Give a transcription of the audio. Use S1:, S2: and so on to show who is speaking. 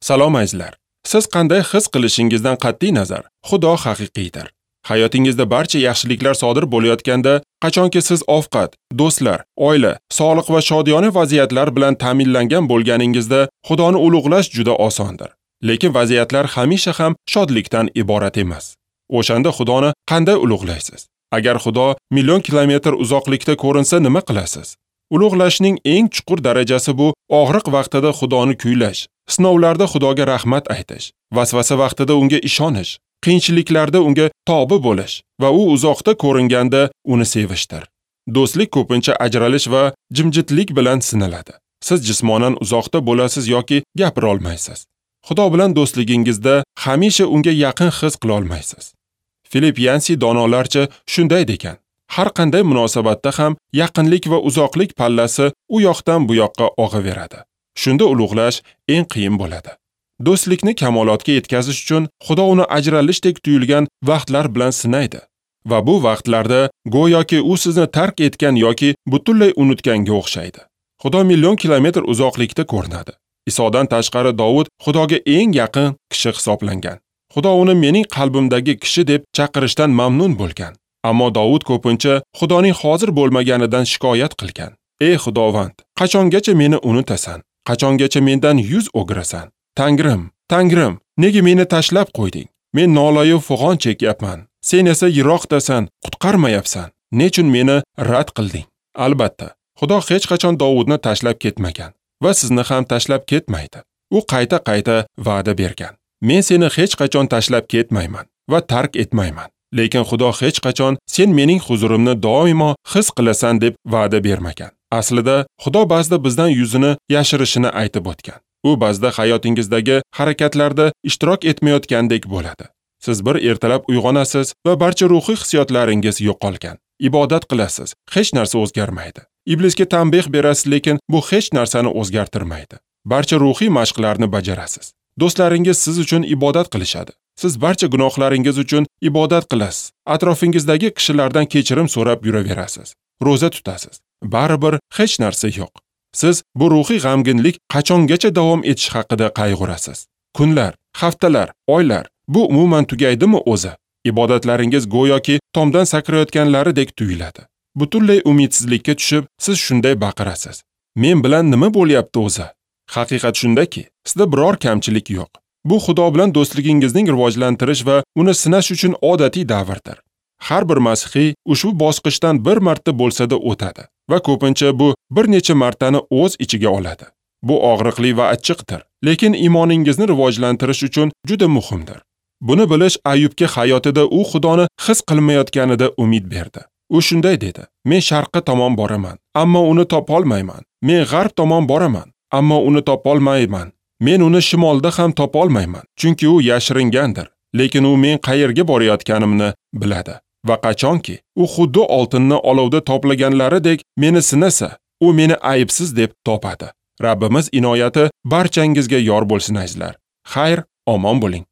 S1: Salom azizlar. Siz qanday his qilishingizdan qat'iy nazar, Xudo haqiqiydir. Hayotingizda barcha yaxshiliklar sodir bo'layotganda, qachonki siz ovqat, do'stlar, oila, sog'liq va shodiyona vaziyatlar bilan ta'minlangan bo'lganingizda, Xudoni ulug'lash juda osondir. Lekin vaziyatlar hamisha ham shodlikdan iborat emas. O'shanda Xudoni qanday ulug'laysiz? Agar Xudo million kilometr uzoqlikda ko'rinsa, nima qilasiz? Ulug'lashning eng chuqur darajasi bu og'riq vaqtida Xudoni kuylash, sinovlarda Xudoga rahmat aytish, vasvasa vaqtida unga ishonish, qiyinchiliklarda unga tobi bo'lish va u uzoqda ko'ringanda uni sevishdir. Do'stlik ko'pincha ajralish va jimjitlik bilan sinaladi. Siz jismonan uzoqda bo'lasiz yoki gapira olmaysiz. Xudo bilan do'stligingizda hamisha unga yaqin his qila olmaysiz. Filip Yansi donolarcha shunday degan: har qanday munosabatda ham yaqinlik va uzoqlik pallasi u yoqdan bu yoqqa og'averadi. Shunda ulug'lash eng qiyin bo'ladi. Do'stlikni kamolotga yetkazish uchun Xudo uni ajralishdek tuyulgan vaqtlar bilan sinaydi va bu vaqtlarda go'yoki u sizni tark etgan yoki butunlay unutganga o'xshaydi. Xudo million kilometr uzoqlikda ko'rinadi. Isodan tashqari Dovud Xudoga eng yaqin kishi hisoblangan. Xudo uni mening qalbimdagi kishi deb chaqirishdan mamnun bo'lgan. Ammo Dovud ko'pincha Xudoning hozir bo'lmaganidan shikoyat qilgan. Ey Xudovand, qachongacha meni unutasan? Qachongacha mendan yuz o'girasan? Tangrim, Tangrim, nega meni tashlab qo'yding? Men nolayu fig'on chekyapman. Sen esa yiroqdasan, qutqarmayapsan. Nechun meni rad qilding? Albatta, Xudo hech qachon Dovudni tashlab ketmagan va sizni ham tashlab ketmaydi. U qayta-qayta va'da bergan. Men seni hech qachon tashlab ketmayman va tark etmayman. Lekin Xudo hech qachon sen mening huzurimni doimo his qilasan deb va'da bermagan. Aslida Xudo ba'zida bizdan yuzini yashirishini aytib o'tgan. U ba'zida hayotingizdagi harakatlarda ishtirok etmayotgandek bo'ladi. Siz bir ertalab uyg'onasiz va barcha ruhiy hissiyotlaringiz yo'qolgan. Ibodat qilasiz, hech narsa o'zgarmaydi. Iblisga tanbeh berasiz, lekin bu hech narsani o'zgartirmaydi. Barcha ruhiy mashqlarni bajarasiz. Do'stlaringiz siz uchun ibodat qilishadi. Siz barcha gunohlaringiz uchun ibodat qilasiz. Atrofingizdagi kishilardan kechirim so'rab yuraverasiz. Ro'za tutasiz. Baribir hech narsa yo'q. Siz bu ruhiy g'amginlik qachongacha davom etishi haqida qayg'urasiz. Kunlar, haftalar, oylar, bu umuman tugaydimi o'zi? Ibodatlaringiz go'yoki tomdan sakrayotganlaridek tuyuladi. Butunlay umidsizlikka tushib, siz shunday baqirasiz: Men bilan nima bo'lyapti o'zi? Haqiqat shundaki, sizda biror kamchilik yo'q. Bu Xudo bilan do'stligingizning rivojlantirish va uni sinash uchun odatiy davrdir. Har bir masihiy ushbu bosqichdan bir marta bo'lsa-da o'tadi va ko'pincha bu bir necha martani o'z ichiga oladi. Bu og'riqli va achchiqdir, lekin iymoningizni rivojlantirish uchun juda muhimdir. Buni bilish Ayubga hayotida u Xudoni his qilmayotganida umid berdi. U shunday dedi: Men sharqqa tomon boraman, ammo uni topolmayman. Men g'arb tomon boraman, ammo uni topolmayman. Men uni shimolda ham topolmayman, chunki u yashiringandir. Lekin u men qayerga borayotganimni biladi. Va qachonki u xuddi oltinni olovda toplaganlaridek meni sinasa, u meni aybsiz deb topadi. Rabbimiz inoyati barchangizga yor bo'lsin azizlar. Xayr, omon bo'ling.